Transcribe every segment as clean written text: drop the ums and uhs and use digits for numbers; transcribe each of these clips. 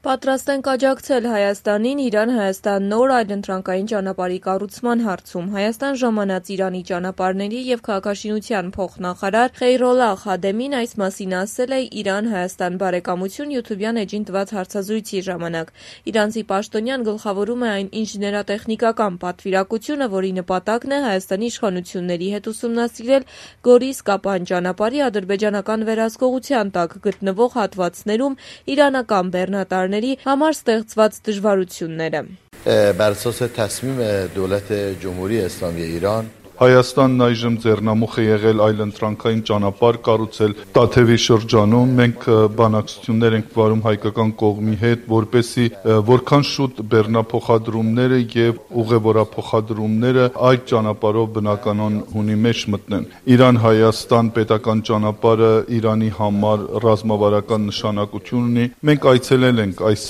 Պատրաստ ենք աջակցել Հայաստանին Իրան-Հայաստան նոր այլընտրանքային ճանապարհի կառուցման հարցում։ Հայաստան ժամանած Իրանի ճանապարհների և քաղաքաշինության փոխնախարար Խեյրոլլահ Խադեմին այս մասին ասել է Իրան-Հայաստան բարեկամություն յութուբյան էջին տված հարցազրույցի ժամանակ։ Իրանցի պաշտոնյան գլխավորում է այն ինժեներատեխնիկական պատվիրակությունը, որի նպատակն է Հայաստանի իշխանությունների հետ ուսումնասիրել Գորիս-Կապան ճանապարհի ադրբեջանական վերահսկողության տակ գտնվող հատվածներում իրանական բեռնատարների համար ստեղծված դժվարությունները։ بر اساس تصمیم دولت جمهوری اسلامی ایران Հայաստանն այժմ ձեռնամուխ է եղել այլընտրանքային ճանապարհ կառուցել Տաթևի շրջանում։ Մենք բանակցություններ ենք վարում հայկական կողմի հետ, որպեսզի որքան շուտ բեռնափոխադրումները եւ ուղևորափոխադրումները այդ ճանապարհով բնականon հունի մեջ մտնեն։ Իրան-Հայաստան պետական ճանապարհը Իրանի համար ռազմավարական նշանակություն ունի։ Մենք այցելել ենք այս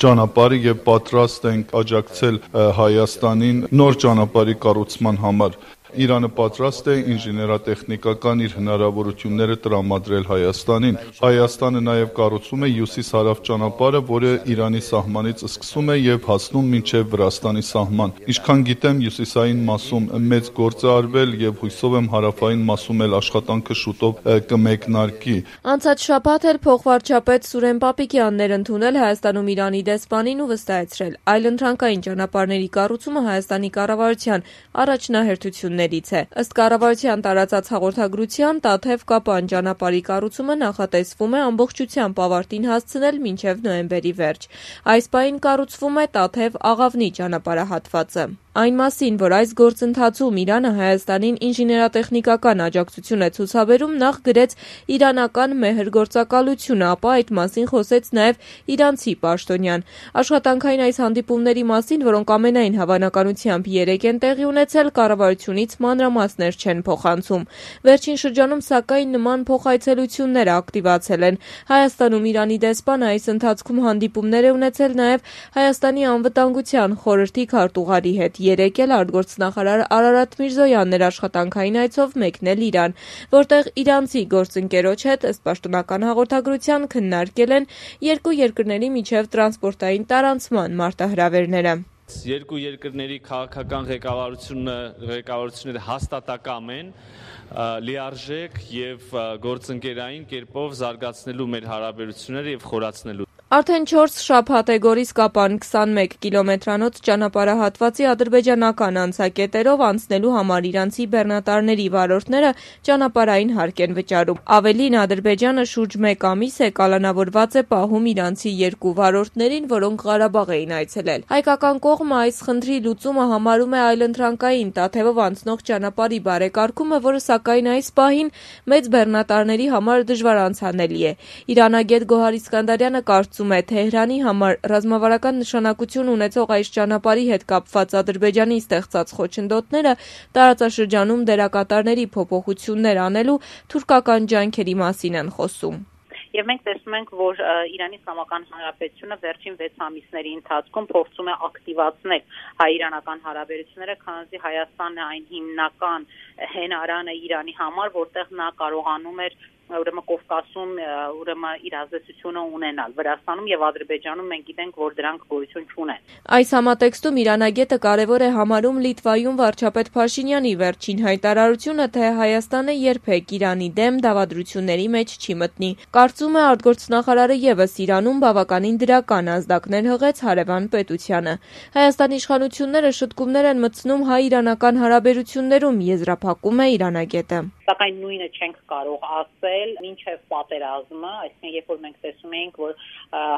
ճանապարհը եւ պատրաստ ենք աջակցել Հայաստանին նոր ճանապարհի կառուցման համար։ Իրանը պատրաստ է ինժեներատեխնիկական իր հնարավորությունները տրամադրել Հայաստանին։ Հայաստանը նաև կառուցում է հյուսիս-հարավ ճանապարհը, որը Իրանի սահմանից սկսում է եւ հասնում մինչեւ Վրաստանի սահման։ Ինչքան գիտեմ, հյուսիսային մասում մեծ գործ է արվել եւ հույսով եմ հարավային մասում էլ աշխատանքը շուտով կմեկնարկի։ Անցած շաբաթ էլ փոխվարչապետ Սուրեն Պապիկյանն էր ընդունել Հայաստանում Իրանի դեսպանին ու վստահեցրել, այլընտրանքային ճանապարհների կառուցումը Հայաստանի կառավարության առաջնահերթություններից է։ Ըստ կառավարության տարածած հաղորդագրության, Տաթև-Կապան ճանապարհի կառուցումը նախատեսվում է ամբողջությամբ ավարտին հասցնել մինչև նոյեմբերի վերջ։ Այս պահին կառուցվում է Տաթև-Աղավնի ճանապարհահատվածը։ Այն մասին, որ այս գործընթացում Իրանը Հայաստանին ինժեներատեխնիկական աջակցություն է ցուցաբերում, նախ գրեց իրանական մեհր-գործակալությունը, ապա այդ մասին խոսեց նաև իրանցի պաշտոնյան։ Աշխատանքային այս հանդիպումների մասին, որոնք ամենայն հավանականությամբ 3 են տեղի ունեցել, կառավարությունից մանրամասներ չեն փոխանցում։ Վերջին շրջանում, սակայն, նման փոխայցելությունները ակտիվացել են։ Հայաստանում Իրանի դեսպանը այս ընթացքում հանդիպումներ է ունեցել նաև Հայաստանի անվտանգության խորհրդի քարտուղարի հետ։ Երեկ էլ արտգործնախարար Արարատ Միրզոյանն էր աշխատանքային այցով մեկնել Իրան, որտեղ իրանցի գործընկերոջ հետ, ըստ պաշտոնական հաղորդագրության, քննարկել են երկու երկրների միջև տրանսպորտային տարանցման մարտահրավերները։ Երկու երկրների քաղաքական ղեկավարությունները հաստատակամ են, լիարժեք եւ գործընկերային կերպով զարգացնելու մեր հարաբերությունները եւ խորացնելու։ Արդեն 4 շաբաթ է Գորիս-Կապան 21 կիլոմետրանոց ճանապարհահատվածի ադրբեջանական անցակետերով անցնելու համար իրանցի բեռնատարների վարորդները ճանապարհային հարկ են վճարում։ Ավելին, Ադրբեջանը շուրջ 1 ամիս է կալանավորված է պահում իրանցի 2 վարորդներին, որոնք Ղարաբաղ էին այցելել։ Հայկական կողմը այս խնդրի լուծումը համարում է այլընտրանքային Տաթևով անցնող ճանապարհի բարեկարգումը, որը սակայն այս պահին մեծ բեռնատարների համար դժվար անցանելի է։ Իրանագետ Գոհար Իսկանդարյանը կարծում է Թեհրանի համար ռազմավարական նշանակություն ունեցող այս ճանապարհի հետ կապված Ադրբեջանի ստեղծած խոչընդոտները տարածաշրջանում դերակատարների փոփոխություններ անելու թուրքական ջանքերի մասին են խոսում։ Եվ մենք տեսնում ենք, որ Իրանի Իսլամական Հանրապետությունը վերջին 6 ամիսների ընթացքում փորձում է ակտիվացնել հայ-իրանական հարաբերությունները, քանզի Հայաստանն է այն հիմնական հենարանը Իրանի համար, որտեղ նա կարողանում էր ուրեմն Կովկասում իր ազդեցությունը ունենալ։ Վրաստանում եւ Ադրբեջանում մենք գիտենք, որ դրանք գոյություն չունեն։ Այս համատեքստում իրանագետը կարևոր է համարում Լիտվայում վարչապետ Փաշինյանի վերջին հայտարարությունը, թե Հայաստանը երբեք Իրանի դեմ դավադրությունների մեջ չի մտնի։ Կարծում է արտգործնախարարը եւս Իրանում բավականին դրական ազդակներ հղեց հարևան պետությանը։ Հայաստանի իշխանությունները շտկումներ են մտցնում հայ-իրանական հարաբերություններում, եզրափակում է իրանագետը։ Սակայն նույնը չենք կարող ասել մինչև պատերազմը, այսինքն երբ որ մենք տեսում էինք, որ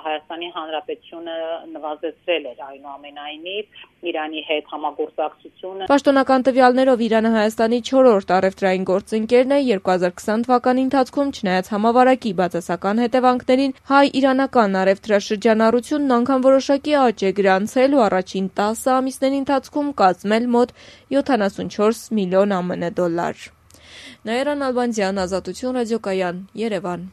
Հայաստանի Հանրապետությունը նվազեցրել էր այնուամենայնիվ Իրանի հետ համագործակցությունը։ Պաշտոնական տվյալներով Իրանը Հայաստանի 4-րդ առևտրային գործընկերն է 2020 թվականի ընթացքում, չնայած համավարակի բացասական հետևանքներին, հայ-իրանական առևտրաշրջանառությունն անգամ որոշակի աճ է գրանցել ու առաջին 10 ամիսների ընթացքում կազմել մոտ 74 միլիոն ԱՄՆ դոլար։ Նաիրա Նալբանդյան, Ազատություն ռադիոկայան, Երևան։